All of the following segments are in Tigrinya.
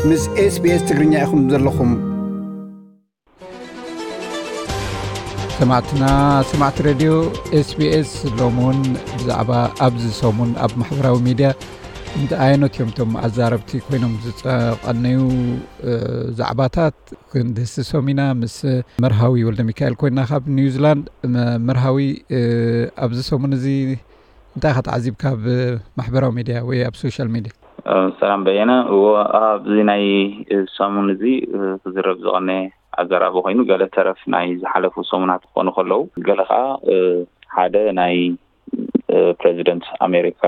ምስ SBS ትግርኛ ኢኹም ዘለኹም። ሰማዕትና፣ ሰማዕቲ ሬድዮ SBS፣ ሎም እውን ብዛዕባ ኣብዚ ሰሙን ኣብ ማሕበራዊ ሚድያ እንተ ኣየኖት እዮም እቶም ኣዛረብቲ ኮይኖም ዝጸቐነዩ፣ እ፣ ዛዕባታት ክንድህስሶም ኢና። ምስ መርሃዊ ወልደ ሚካኤል ኮይና ካብ ኒውዚላንድ። መ-፣ መርሃዊ፣ እ፣ ኣብዚ ሰሙን እዚ እንታይ ኢኻ ተዓዚብካ ኣብ ማሕበራዊ ሚድያ ወይ ኣብ ሶሻል ሚድያ? እ፣ ሰላም በየነ። እዎ፣ ኣብዚ ናይ ሰሙን እዚ፣ እ፣ ክዝረብ ዝቐነ ኣዘራርባ ኮይኑ፣ ገለ ተረፍ ናይ ዝሓለፉ ሰሙናት ክኾኑ ከለዉ፣ ገለ ኸኣ፣ እ፣ ሓደ ናይ፣ እ፣ ፕረዚደንት ኣሜሪካ፣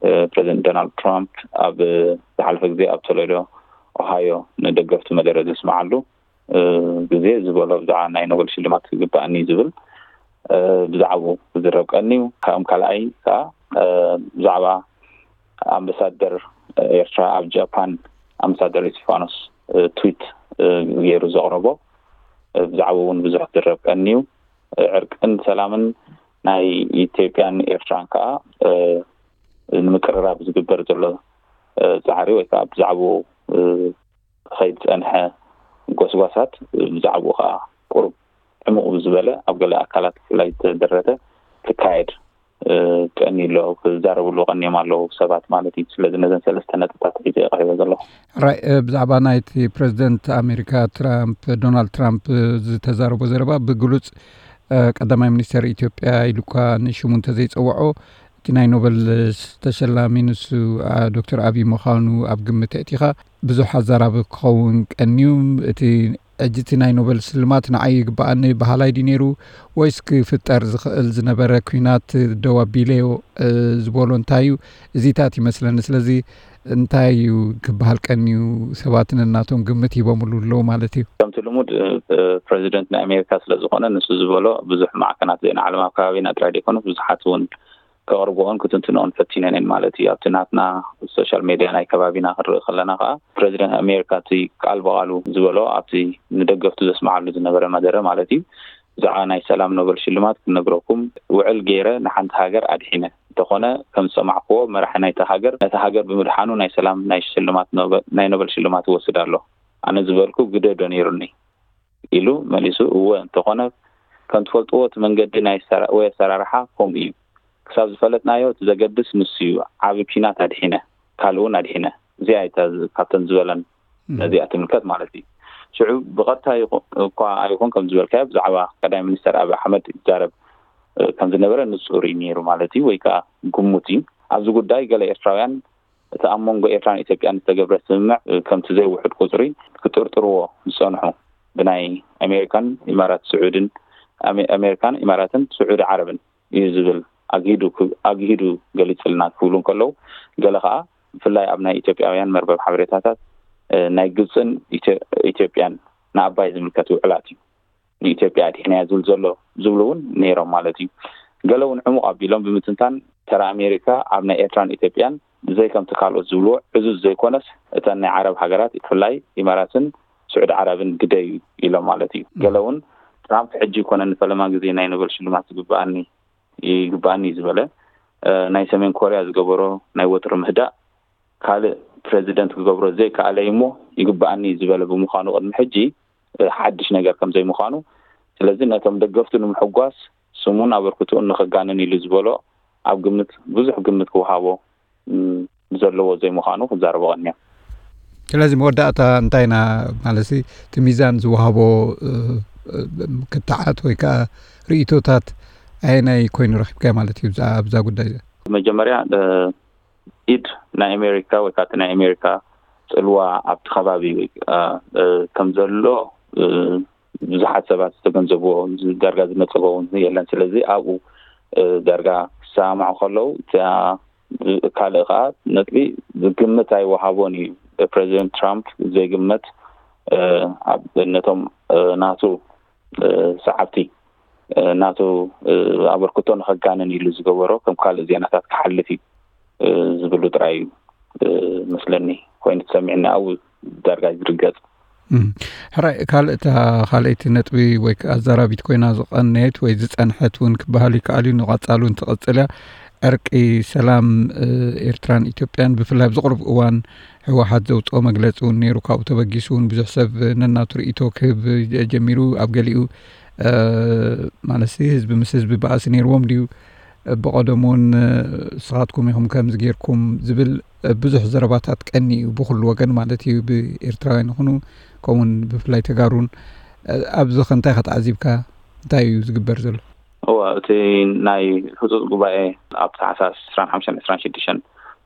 እ፣ ፕረዚደንት ዶናልድ ትራምፕ ኣብ ዝሓለፈ ግዜ ኣብ ቶሌዶ ኦሃዮ ንደገፍቲ መደረ ዘስምዓሉ፣ እ፣ ግዜ ዝበሎ ብዛዕባ ናይ ኖበል ሽልማት ይግባኣኒ ዝብል፣ እ፣ ብዛዕባኡ ክዝረብ ቀንዩ። ካብኦም ካልኣይ ከኣ፣ እ፣ ብዛዕባ ኣምባሳደር ኤርትራ ኣብ ጃፓን፣ ኣምባሳደር እስጢፋኖስ፣ እ፣ ትዊት፣ እ፣ ገይሩ ዘቕረቦ፣ እ፣ ብዛዕባኡ እውን ብዙሕ ክዝረብ ቀንዩ። እ፣ ዕርቅን ሰላምን ናይ ኢትዮጵያን ኤርትራን ከኣ፣ እ፣ ንምቅርራብ ዝግበር ዘሎ፣ እ፣ ጻዕሪ ወይ ከኣ ብዛዕባኡ፣ እ፣ ክኸይድ ዝጸንሐ ጎስጓሳት፣ እ፣ ብዛዕባኡ ከኣ ቁሩብ ዕሙቕ ብዝበለ ኣብ ገለ ኣካላት ብፍላይ ዝተደረተ ክካየድ፣ እ፣ ቀንዩ ኣሎ፣ ክዛረብሉ ቀንዮም ኣለዉ ሰባት ማለት እዩ። ስለዚ ነዘን ሰለስተ ነጥብታት ሒዘ እየ ቀሪበ ዘለኹ። ሕራይ፣ እ፣ ብዛዕባ ናይቲ ፕረዚደንት ኣሜሪካ ትራምፕ፣ ዶናልድ ትራምፕ፣ እ፣ ዝተዛረቦ ዘረባ ብግሉጽ፣ እ፣ ቀዳማይ ሚኒስተር ኢትዮጵያ ኢሉ እኳ ንሽሙ እንተዘይጸውዖ፣ እቲ ናይ ኖበል ተሸላሚ ንሱ፣ አ፣ ዶክተር ኣብይ ምዃኑ ኣብ ግምት ኣእቲኻ ብዙሕ ኣዛራቢ ክኸውን ቀንዩ። እቲ ሕጂ እቲ ናይ ኖበል ስልማት ንዓይ ይግብኣኒ በሃላይ ድዩ ነይሩ ወይስ ክፍጠር ዝኽእል ዝነበረ ኲናት ደው ኣቢለዮ፣ እ፣ ዝበሎ እንታይ እዩ? እዚታት ይመስለኒ። ስለዚ እንታይ እዩ ክበሃል ቀንዩ? ሰባት ነናቶም ግምት ሂቦምሉ ኣለዉ ማለት እዩ። ከምቲ ልሙድ፣ እ፣ እ፣ ፕረዚደንት ናይ ኣሜሪካ ስለ ዝኾነ ንሱ ዝበሎ ብዙሕ ማዕከናት ዜና ዓለም ኣብ ከባቢና ጥራይ ዘይኮኑ ብዙሓት እውን ከቕርብኦን ክትንትንኦን ፈቲነን እየን ማለት እዩ። ኣብቲ ናትና ሶሻል ሜድያ ናይ ከባቢና ክንርኢ ከለና ከኣ ፕረዚደንት ኣሜሪካ እቲ ቃል ብቓሉ ዝበሎ ኣብቲ ንደገፍቱ ዘስምዓሉ ዝነበረ መደረ ማለት እዩ፣ ብዛዕባ ናይ ሰላም ኖበል ሽልማት ክነግረኩም ውዕል ገይረ ንሓንቲ ሃገር ኣድሒነ። እንተኾነ ከም ዝሰማዕክዎ መራሒ ናይታ ሃገር ነታ ሃገር ብምድሓኑ ናይ ሰላም ናይ ሽልማት ኖበ-፣ ናይ ኖበል ሽልማት ይወስድ ኣሎ። ኣነ ዝበልኩ ግደ ዶ ነይሩኒ? ኢሉ መሊሱ። እወ፣ እንተኾነ ከም ትፈልጥዎ እቲ መንገዲ ናይ ሰራ-፣ ወይ ኣሰራርሓ ከምኡ እዩ። ክሳብ ዝፈለጥናዮ እቲ ዘገድስ ንሱ እዩ። ዓቢ ኲናት ኣድሒነ፣ ካልእ እውን ኣድሒነ። እዚኣ እታ ዝ-፣ ካብተን ዝበለን እም። ነዚኣ ትምልከት ማለት እዩ። ሽዑ ብቐጥታ ይኹ-፣ እኳ ኣይኹን ከም ዝበልካዮ ብዛዕባ ቀዳማይ ሚኒስተር ኣብይ ኣሕመድ ይዛረብ፣ እ፣ ከም ዝነበረ ንጹር እዩ ነይሩ ማለት እዩ፣ ወይ ከኣ ግሙት እዩ። ኣብዚ ጉዳይ ገለ ኤርትራውያን እቲ ኣብ መንጎ ኤርትራን ኢትዮጵያን ዝተገብረ ስምምዕ፣ እ፣ ከምቲ ዘይውሑድ ቁጽሪ ክጥርጥርዎ ዝጸንሑ ብናይ ኣሜሪካን ኢማራት ስዑድን፣ ኣሜ-፣ ኣሜሪካን ኢማራትን ስዑዲ ዓረብን እዩ ዝብል ኣግሂዱ ክ-፣ ኣግሂዱ ገሊጽልና ክብሉ እንከለዉ፣ ገለ ከኣ ብፍላይ ኣብ ናይ ኢትዮጵያውያን መርበብ ሓበሬታታት፣ እ፣ ናይ ግብጽን ኢትዮ-፣ ኢትዮጵያን ንኣባይ ዝምልከት ውዕላት እዩ። ንኢትዮጵያ ኣድሒናያ ዝብል ዘሎ ዝብሉ እውን ነይሮም ማለት እዩ። ገለ እውን ዕሙቕ ኣቢሎም ብምትንታን ተራ ኣሜሪካ ኣብ ናይ ኤርትራን ኢትዮጵያን ብዘይ ከምቲ ካልኦት ዝብልዎ ዕዙዝ ዘይኮነስ እተን ናይ ዓረብ ሃገራት ብፍላይ ኢማራትን ስዑዲ ዓረብን ግደ እዩ ኢሎም ማለት እዩ። ገለ እውን ትራምፕ ሕጂ ይኮነ ንፈለማ ግዜ ናይ ኖበል ሽልማት ዝግብኣኒ ይግብኣኒ እዩ ዝበለ፣ እ፣ ናይ ሰሜን ኮርያ ዝገበሮ ናይ ወጥሪ ምህዳእ ካልእ ፕረዚደንት ክገብሮ ዘይከኣለ እዩ እሞ ይግብኣኒ ዝበለ ብምዃኑ ቅድሚ ሕጂ፣ እ፣ ሓድሽ ነገር ከም ዘይምዃኑ፣ ስለዚ ነቶም ደገፍቱ ንምሕጓስ ስሙን ኣበርክትኡን ንኸጋንን ኢሉ ዝበሎ ኣብ ግምት፣ ብዙሕ ግምት ክወሃቦ፣ እም፣ ዘለዎ ዘይምዃኑ ክዛረቦ ቀንዮም። ስለዚ መወዳእታ እንታይ ኢና ማለት ሲ፣ እቲ ሚዛን ዝወሃቦ፣ እ፣ እ፣ ክትዓት ወይ ከኣ ርእይቶታት ኣየናይ ኮይኑ ረኺብካዮ ማለት እዩ ኣብዛ፣ ኣብዛ ጉዳይ እዚኣ? መጀመርያ፣ እ፣ ኢድ ናይ ኣሜሪካ ወይ ከዓ እቲ ናይ ኣሜሪካ ጽልዋ ኣብቲ ከባቢ ወይ ከዓ፣ እ፣ ከም ዘሎ፣ እ፣ ብዙሓት ሰባት ዝተገንዘብዎ ዳርጋ ዝነጸጎ እውን የለን። ስለዚ ኣብኡ፣ እ፣ ዳርጋ ክሰማማዑ ከለዉ እታ ካልእ ከዓ ነጥቢ ግምት ኣይወሃቦን እዩ። ፕረዚደንት ትራምፕ ዘይግመት፣ እ፣ ኣብ ነቶም፣ እ፣ ናቱ፣ እ፣ ሰዓብቲ፣ እ፣ ናቱ፣ እ፣ ኣበርክቶ ንኸጋንን ኢሉ ዝገበሮ ከም ካልእ ዜናታት ክሓልፍ እዩ፣ እ፣ ዝብሉ ጥራይ እዩ፣ እ፣ መስለኒ ኮይኑ ተሰሚዕኒ ኣብኡ ዳርጋ ዝርገጽ። እም። ሕራይ፣ ካልእ እታ ካልኣይቲ ነጥቢ ወይ ከኣ ኣዛራቢት ኮይና ዝቐነየት ወይ ዝጸንሐት እውን ክበሃል ይከኣል እዩ፣ ንቐጻሉ እውን ትቕጽል እያ። ዕርቂ ሰላም ኤርትራን ኢትዮጵያን ብፍላይ ኣብዚ ቅሩብ እዋን ህወሓት ዘውፅኦ መግለፂ እውን ነይሩ። ካብኡ ተበጊሱ እውን ብዙሕ ሰብ ነናቱ ርእይቶ ክህብ ጀሚሩ። ኣብ ገሊኡ ማለት ህዝቢ ምስ ህዝቢ ባእሲ ነይርዎም ድዩ? ብቐደም እውን ንስኻትኩም ኢኹም ከምዚ ጌርኩም ዝብል ብዙሕ ዘረባታት ቀኒ እዩ ብኹሉ ወገን ማለት እዩ፣ ብኤርትራውያን ይኹኑ ከምኡውን ብፍላይ ተጋሩን። ኣብዚ ከ እንታይ ከተዓዚብካ? እንታይ እዩ ዝግበር ዘሎ? እወ፣ እቲ ናይ ህፁፅ ጉባኤ ኣብ ታሕሳስ ዕስራን ሓሙሽተን ዕስራን ሽዱሽተን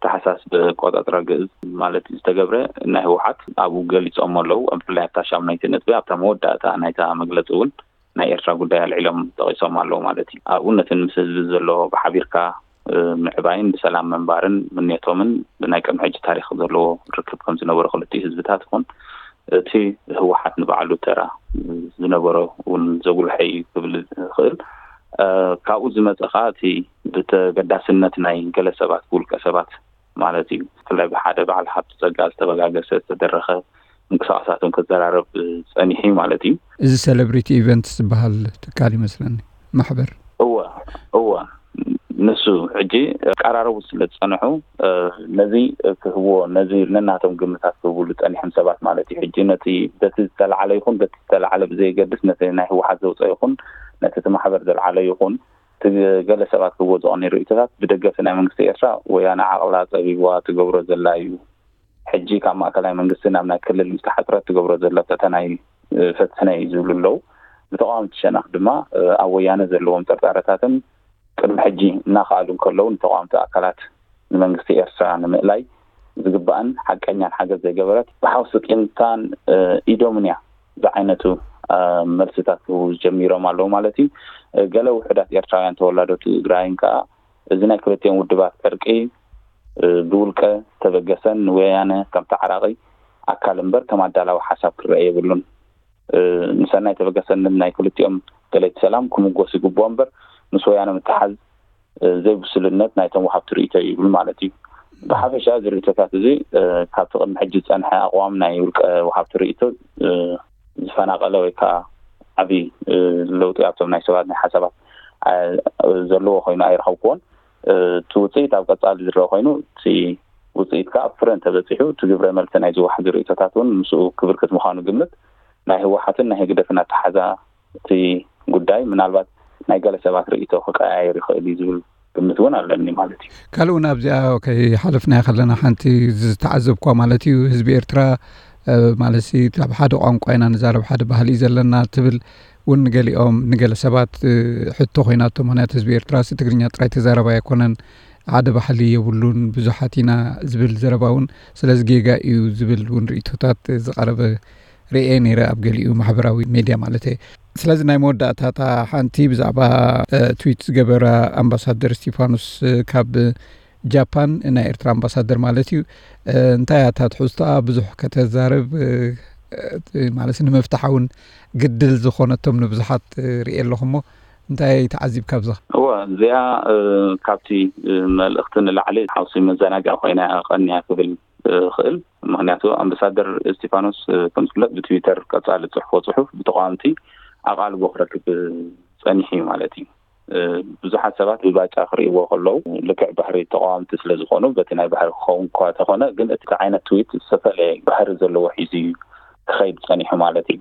ታሕሳስ ብቆፃፅራ ግእዝ ማለት ዝተገብረ ናይ ህወሓት ኣብኡ ገሊፆም ኣለዉ። ብፍላይ ኣብታ ሻሙናይቲ ነጥቢ ኣብታ መወዳእታ ናይታ መግለፂ እውን ናይ ኤርትራ ጉዳይ ኣልዒሎም ጠቒሶም ኣለዉ ማለት እዩ። ኣብኡ ነቲ ምስ ህዝቢ ዘሎ ብሓቢርካ ምዕባይን ብሰላም ምንባርን ምንየቶምን ብናይ ቅድሚ ሕጂ ታሪክ ዘለዎ ርክብ ከም ዝነበሮ ክልቲኡ ህዝብታት ይኹን እቲ ህወሓት ንባዕሉ ተራ ዝነበሮ እውን ዘጉልሐ እዩ ክብል ይኽእል። ካብኡ ዝመፀ ከዓ እቲ ብተገዳስነት ናይ ገለ ሰባት ብውልቀ ሰባት ማለት እዩ ብፍላይ ብሓደ በዓል ሃብቲ ፀጋ ዝተበጋገሰ ዝተደረኸ ምንቅስቃሳትን ክዘራረብ ፀኒሑ ማለት እዩ። እዚ ሴሌብሪቲ ኢቨንት ዝበሃል ትካል ይመስለኒ ማሕበር። እወ እወ ንሱ ሕጂ ቀራረቡ ስለ ዝፀንሑ ነዚ ክህብዎ ነዚ ነናቶም ግምታት ክህብሉ ፀኒሖም ሰባት ማለት እዩ። ሕጂ ነቲ በቲ ዝተላዓለ ይኹን በቲ ዝተላዓለ ብዘየገድስ ነቲ ናይ ህወሓት ዘውፀ ይኹን ነቲ እቲ ማሕበር ዘልዓለ ይኹን እቲ ገለ ሰባት ክህብዎ ዝቐኒ ርእይቶታት ብደገፍቲ ናይ መንግስቲ ኤርትራ ወያነ ዓቕላ ፀቢብዋ ትገብሮ ዘላ እዩ። ሕጂ ካብ ማእከላይ መንግስቲ ናብ ናይ ክልል ዝተሓፅረት ትገብሮ ዘላ ፈተና እዩ ፈትሕና እዩ ዝብሉ ኣለዉ። ብተቃወምቲ ሸነኽ ድማ ኣብ ወያነ ዘለዎም ጥርጣረታትን ቅድሚ ሕጂ እናኸኣሉ እንከለዉ ንተቃወምቲ ኣካላት ንመንግስቲ ኤርትራ ንምእላይ ዝግባእን ሓቀኛን ሓገዝ ዘይገበረት ብሓውሲ ቂምታን ኢዶምን እያ ዝዓይነቱ መልስታት ክህቡ ጀሚሮም ኣለዉ ማለት እዩ። ገለ ውሑዳት ኤርትራውያን ተወላዶ ትግራይን ከዓ እዚ ናይ ክልቲኦም ውድባት ዕርቂ ብውልቀ ተበገሰን ንወያነ ከም ተዓራቒ ኣካል እምበር ከም ኣዳላዊ ሓሳብ ክረአ የብሉን። ንሰናይ ተበገሰን ናይ ክልቲኦም ደለይቲ ሰላም ክምጎስ ይግብኦ እምበር ምስ ወያነ ምትሓዝ ዘይብስልነት ናይቶም ወሃብቲ ርእይቶ እዩ ይብል ማለት እዩ። ብሓፈሻ እዚ ርእይቶታት እዚ ካብቲ ቅድሚ ሕጂ ዝፀንሐ ኣቕዋም ናይ ውልቀ ወሃብቲ ርእይቶ ዝፈናቀለ ወይ ከዓ ዓብዪ ለውጢ ኣብቶም ናይ ሰባት ናይ ሓሳባት ዘለዎ ኮይኑ ኣይረኸብክዎን። እቲ ውፅኢት ኣብ ቀፃሊ ዝረአ ኮይኑ እቲ ውፅኢት ከዓ ኣብ ፍረ እንተበፂሑ እቲ ግብረ መልሲ ናይ ዝወሓዙ ርእይቶታት እውን ምስኡ ክብርክት ምዃኑ ግምት ናይ ህወሓትን ናይ ህግደፍን ኣተሓዛ እቲ ጉዳይ ምናልባት ናይ ገለ ሰባት ርእይቶ ክቀያየር ይኽእል እዩ ዝብል ግምት እውን ኣለኒ ማለት እዩ። ካልእ እውን ኣብዚኣ ከይሓለፍናዮ ከለና ሓንቲ ዝተዓዘብኳ ማለት እዩ ህዝቢ ኤርትራ ማለት ካብ ሓደ ቋንቋ ኢና ንዛረብ ሓደ ባህሊ እዩ ዘለና ትብል እውን ንገሊኦም ንገለ ሰባት ሕቶ ኮይናቶ። ምክንያቱ ህዝቢ ኤርትራ ሲ ትግርኛ ጥራይ ተዛረባ ኣይኮነን ሓደ ባህሊ የብሉን ብዙሓት ኢና ዝብል ዘረባ እውን ስለዚ ጌጋ እዩ ዝብል እውን ርእቶታት ዝቀረበ ርእየ ነይረ ኣብ ገሊኡ ማሕበራዊ ሜድያ ማለት እየ። ስለዚ ናይ መወዳእታታ ሓንቲ ብዛዕባ ትዊት ዝገበራ ኣምባሳደር እስቲፋኖስ ካብ ጃፓን ናይ ኤርትራ ኣምባሳደር ማለት እዩ እንታይ ኣታ ትሕዝቶኣ ብዙሕ ከተዛርብ ማለት ንምፍታሕ እውን ግድል ዝኾነቶም ንብዙሓት ርእየ ኣለኹ እሞ እንታይ ተዓዚብ ካብዚ? እወ እዚኣ ካብቲ መልእኽቲ ንላዕሊ ሓውሲ መዘናግዒ ኮይና ቀንያ ክብል ክእል። ምክንያቱ ኣምባሳደር እስቲፋኖስ ከም ዝፍለጥ ብትዊተር ቀፃሊ ፅሕፎ ፅሑፍ ብተቃዋምቲ ኣቃልቦ ክረክብ ፀኒሑ እዩ ማለት እዩ። ብዙሓት ሰባት ብባጫ ክርእይዎ ከለዉ ልክዕ ባህሪ ተቃዋምቲ ስለ ዝኾኑ በቲ ናይ ባህሪ ክኸውን እኳ ተኾነ ግን እቲ ዓይነት ትዊት ዝተፈለየ ባህሪ ዘለዎ ሒዙ እዩ ክኸይድ ፀኒሑ ማለት እዩ።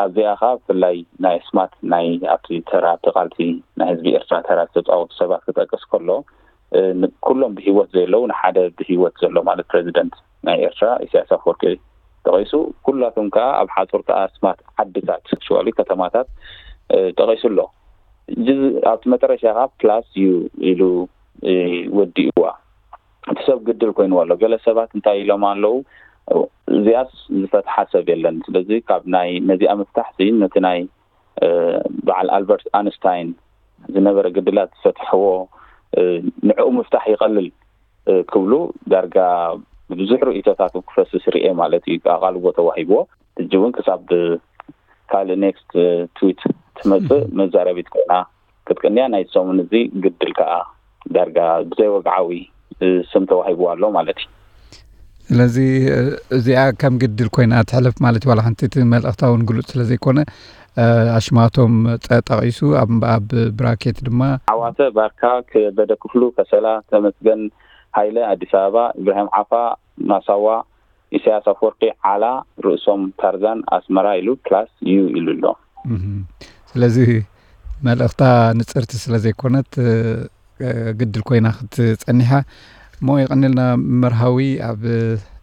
ኣብዚኣ ከዓ ብፍላይ ናይ ኣስማት ናይ ኣብቲ ተራ ኣብቲ ቃልሲ ናይ ህዝቢ ኤርትራ ተራ ዝተፃወቱ ሰባት ክጠቅስ ከሎ ኩሎም ብሂወት ዘየለዉ ንሓደ ብሂወት ዘሎ ማለት ፕረዚደንት ናይ ኤርትራ ኢሳያስ ኣፈወርቂ ጠቂሱ ኩላቶም ከዓ ኣብ ሓፁርታ ኣስማት ዓድታት ሽዋሊ ከተማታት ጠቂሱ ኣሎ። ኣብቲ መጠረሻ ከዓ ፕላስ እዩ ኢሉ ወዲእዋ እቲ ሰብ ግድል ኮይንዎ ኣሎ። ገለ ሰባት እንታይ ኢሎም ኣለዉ እዚኣስ ዝፈትሓ ሰብ የለን። ስለዚ ካብ ናይ ነዚኣ ምፍታሕ ሲ ነቲ ናይ በዓል ኣልበርት ኣንስታይን ዝነበረ ግድላት ዝፈትሕዎ ንዕኡ ምፍታሕ ይቐልል ክብሉ ዳርጋ ብዙሕ ርእይቶታት ክፈስስ ርኤ ማለት እዩ። ኣቓልቦ ተዋሂብዎ ሕጂ እውን ክሳብ ካልእ ኔክስት ትዊት ትመፅእ መዛረቢት ኮይና ክትቅንያ ናይ ሰሙን እዚ ግድል ከዓ ዳርጋ ብዘይወግዓዊ ስም ተዋሂብዋ ኣሎ ማለት እዩ። ስለዚ እዚኣ ከም ግድል ኮይና ትሕለፍ ማለት ዋላ ሓንቲ እቲ መልእኽታ እውን ግሉፅ ስለ ዘይኮነ ኣሽማቶም ጠቂሱ ኣብ ብራኬት ድማ ዓዋተ ባርካ፣ ከበደ ክፍሉ ከሰላ፣ ተመስገን ሃይለ ኣዲስ ኣበባ፣ ኢብራሂም ዓፋ ማሳዋ፣ ኢሳያስ ኣፈወርቂ ዓላ፣ ርእሶም ታርዛን ኣስመራ ኢሉ ፕላስ ዩ ኢሉ ኣሎ። ስለዚ መልእኽታ ንጽርቲ ስለ ዘይኮነት ግድል ኮይና ክትጸኒሓ እሞ የቐንልና። መርሃዊ ኣብ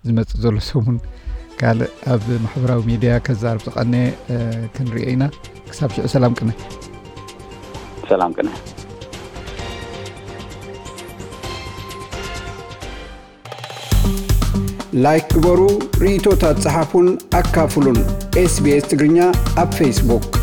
ዝመጽእ ዘሎ ሰሙን ካልእ ኣብ ማሕበራዊ ሚድያ ከዛርብ ዝቐነ ክንሪኦ ኢና። ክሳብ ሽዑ ሰላም ቅነ። ሰላም ቅነ። ላይክ ግበሩ፣ ርእይቶታት ጸሓፉን ኣካፍሉን። ኤስቢኤስ ትግርኛ ኣብ ፌስቡክ።